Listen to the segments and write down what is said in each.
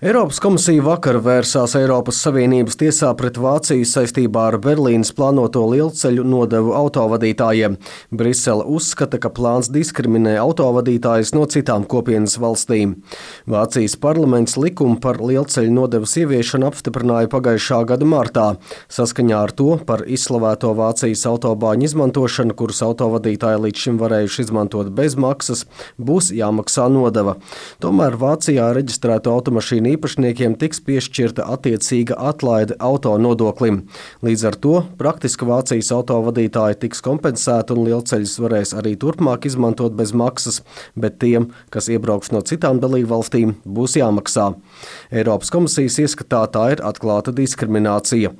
Eiropas komisija vakar vērsās Eiropas Savienības tiesā pret Vāciju saistībā ar Berlīnes plānoto lielceļu nodevu autovadītājiem. Brisele uzskata, ka plāns diskriminē autovadītājus no citām kopienas valstīm. Vācijas parlaments likumu par lielceļu nodevas ieviešanu apstiprināja pagājušā gada martā. Saskaņā ar to par izslavēto Vācijas autobāņu izmantošanu, kuras autovadītāji līdz šim varējuši izmantot bez maksas, būs jāmaksā nodeva. Tomēr Vācijā reģistrēto automašīnu īpašniekiem tiks piešķirta attiecīga atlaide auto nodoklim. Līdz ar to praktiski Vācijas autovadītāji tiks kompensēti un lielceļus varēs arī turpmāk izmantot bez maksas, bet tiem, kas iebrauks no citām dalībvalstīm, būs jāmaksā. Eiropas komisijas ieskatā tā ir atklāta diskriminācija.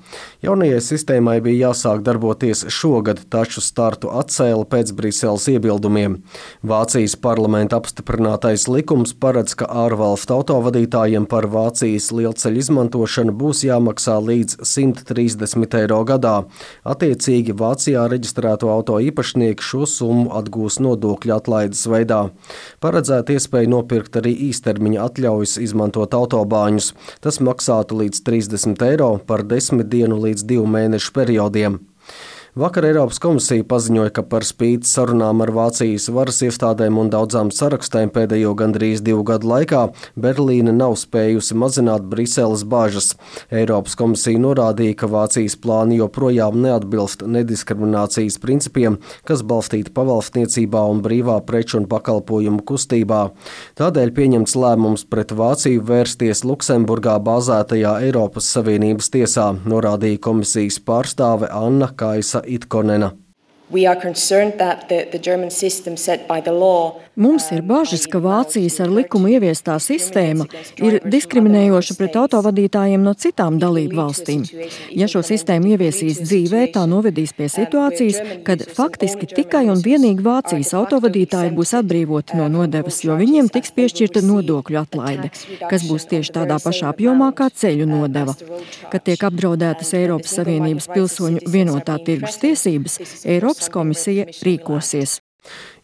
Jaunajai sistēmai bija jāsāk darboties šogad, taču startu atcēla pēc Briseles iebildumiem. Vācijas parlamenta apstiprinātais likums paredz, ka ārvalstu autovadītājiem par Vācijas lielceļu izmantošanu būs jāmaksā līdz 130 eiro gadā. Attiecīgi Vācijā reģistrēto auto īpašnieki šo summu atgūs nodokļu atlaides veidā. Paredzēta iespēja nopirkt arī īstermiņa atļaujas izmantot autobāņus. Tas maksātu līdz 30 eiro par 10 dienu līdz 2 mēnešu periodiem. Vakar Eiropas komisija paziņoja, ka par spīti sarunām ar Vācijas varas iestādēm un daudzām sarakstēm pēdējo gandrīz 2 gadu laikā Berlīne nav spējusi mazināt Briseles bažas. Eiropas komisija norādīja, ka Vācijas plāni joprojām neatbilst nediskriminācijas principiem, kas balstīti pavalstniecībā un brīvā preču un pakalpojumu kustībā. Tādēļ pieņemts lēmums pret Vāciju vērsties Luksemburgā bāzētajā Eiropas Savienības tiesā, norādīja komisijas pārstāve Anna Kaisa Itkonena. Mums ir bažas, ka Vācijas ar likumu ieviestā sistēma ir diskriminējoša pret autovadītājiem no citām dalību valstīm. Ja šo sistēmu ieviesīs dzīvē, tā novedīs pie situācijas, kad faktiski tikai un vienīgi Vācijas autovadītāji būs atbrīvoti no nodevas, jo viņiem tiks piešķirta nodokļu atlaide, kas būs tieši tādā pašā apjomā kā ceļu nodeva. Kad tiek apdraudētas Eiropas Savienības pilsoņu vienotā tirgus tiesības, Eiropas komisija rīkosies.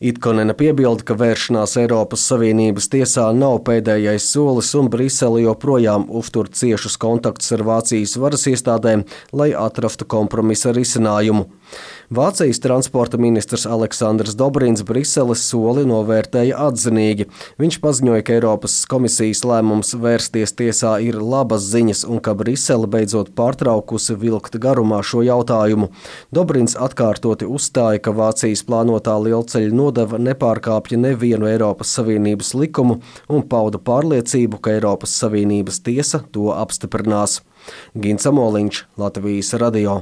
Itkonena piebilda, ka vēršanās Eiropas Savienības tiesā nav pēdējais solis un Brisele joprojām uztur ciešus kontaktus ar Vācijas varas iestādēm, lai atrastu kompromisa risinājumu. Vācijas transporta ministrs Aleksandrs Dobrins Briseles soli novērtēja atzinīgi. Viņš paziņoja, ka Eiropas komisijas lēmums vērsties tiesā ir labas ziņas un ka Brisele beidzot pārtraukusi vilkt garumā šo jautājumu. Dobrins atkārtoti uzstāja, ka Vācijas plānotā lielceļu nodeva nepārkāpja nevienu Eiropas Savienības likumu un pauda pārliecību, ka Eiropas Savienības tiesa to apstiprinās. Gins Amoliņš, Latvijas radio.